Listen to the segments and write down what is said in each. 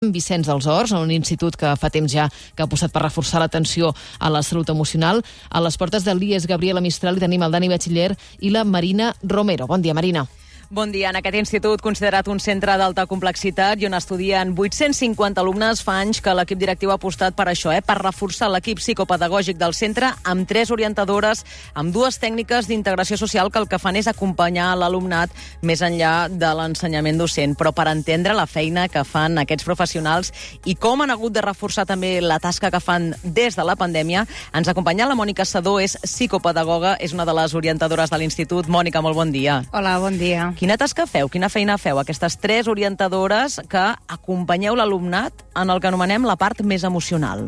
Vicenç dels Horts, un institut que fa temps ja que ha apostat per reforçar l'atenció a la salut emocional. A les portes del l'IES Gabriela Mistral hi tenim el Dani Batxiller i la Marina Romero. Bon dia, Marina. Bon dia. En aquest institut, considerat un centre d'alta complexitat i on estudien 850 alumnes, fa anys que l'equip directiu ha apostat per això, per reforçar l'equip psicopedagògic del centre amb 3 orientadores, amb 2 tècniques d'integració social que el que fan és acompanyar l'alumnat més enllà de l'ensenyament docent. Però per entendre la feina que fan aquests professionals i com han hagut de reforçar també la tasca que fan des de la pandèmia, ens acompanya la Mònica Sedó, és psicopedagoga, és una de les orientadores de l'institut. Mònica, molt bon dia. Hola, bon dia. Quina tasca feu? Quina feina feu? Aquestes 3 orientadores que acompanyeu l'alumnat en el que anomenem la part més emocional.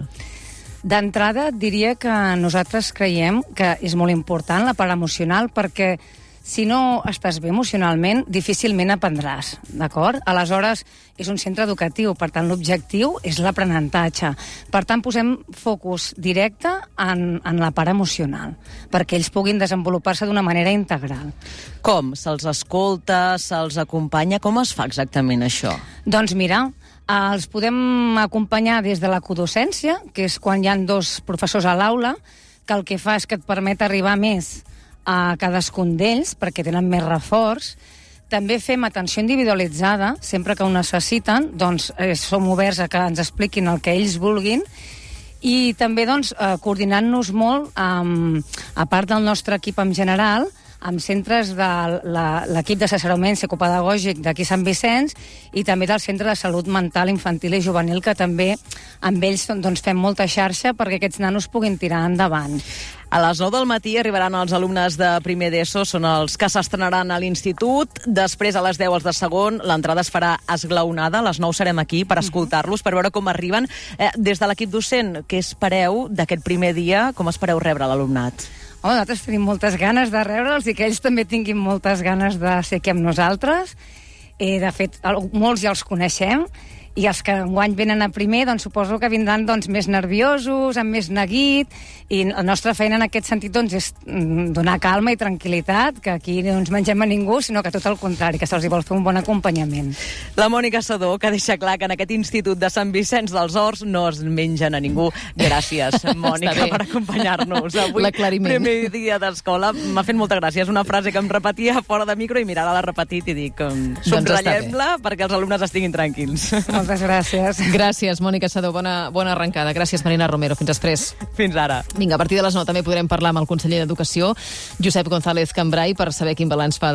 D'entrada, diria que nosaltres creiem que és molt important la part emocional perquè si no estàs bé emocionalment, difícilment aprendràs, d'acord? Aleshores, és un centre educatiu, per tant, l'objectiu és l'aprenentatge. Per tant, posem focus directe en la part emocional, perquè ells puguin desenvolupar-se d'una manera integral. Com? Se'ls escolta, se'ls acompanya? Com es fa exactament això? Doncs mira, els podem acompanyar des de la codocència, que és quan hi ha 2 professors a l'aula, que el que fa és que et permet arribar més a cadascun d'ells, perquè tenen més reforç. També fem atenció individualitzada, sempre que ho necessiten, doncs som oberts a que ens expliquin el que ells vulguin, i també coordinant-nos molt, a part del nostre equip en general, amb centres de l'equip d'assessorament psicopedagògic d'aquí Sant Vicenç i també del Centre de Salut Mental Infantil i Juvenil, que també amb ells fem molta xarxa perquè aquests nanos puguin tirar endavant. A les 9 del matí arribaran els alumnes de primer d'ESO, són els que s'estrenaran a l'institut. Després, a les 10, els de segon, l'entrada es farà esglaonada. A les 9 serem aquí per escoltar-los, per veure com arriben. Des de l'equip docent, què espereu d'aquest primer dia? Com espereu rebre l'alumnat? Nosaltres tenim moltes ganes de rebre'ls i que ells també tinguin moltes ganes de ser aquí amb nosaltres. De fet, molts ja els coneixem, i els que enguany venen a primer, suposo que vindran més nerviosos, amb més neguit, i la nostra feina en aquest sentit és donar calma i tranquil·litat, que aquí no ens mengem a ningú, sinó que tot el contrari, que se'ls vol fer un bon acompanyament. La Mònica Sedó, que deixa clar que en aquest institut de Sant Vicenç dels Horts no es mengen a ningú. Gràcies, Mònica, per acompanyar-nos. Avui, primer dia d'escola, m'ha fet molta gràcia. És una frase que em repetia fora de micro i mira, l'ha repetit i dic, subratllem-la perquè els alumnes estiguin tranquils. Moltes gràcies. Gràcies, Mònica Sedó. Bona arrencada. Gràcies, Marina Romero. Fins després. Fins ara. Vinga, a partir de les 9 també podrem parlar amb el conseller d'Educació, Josep González Cambray, per saber quin balanç fa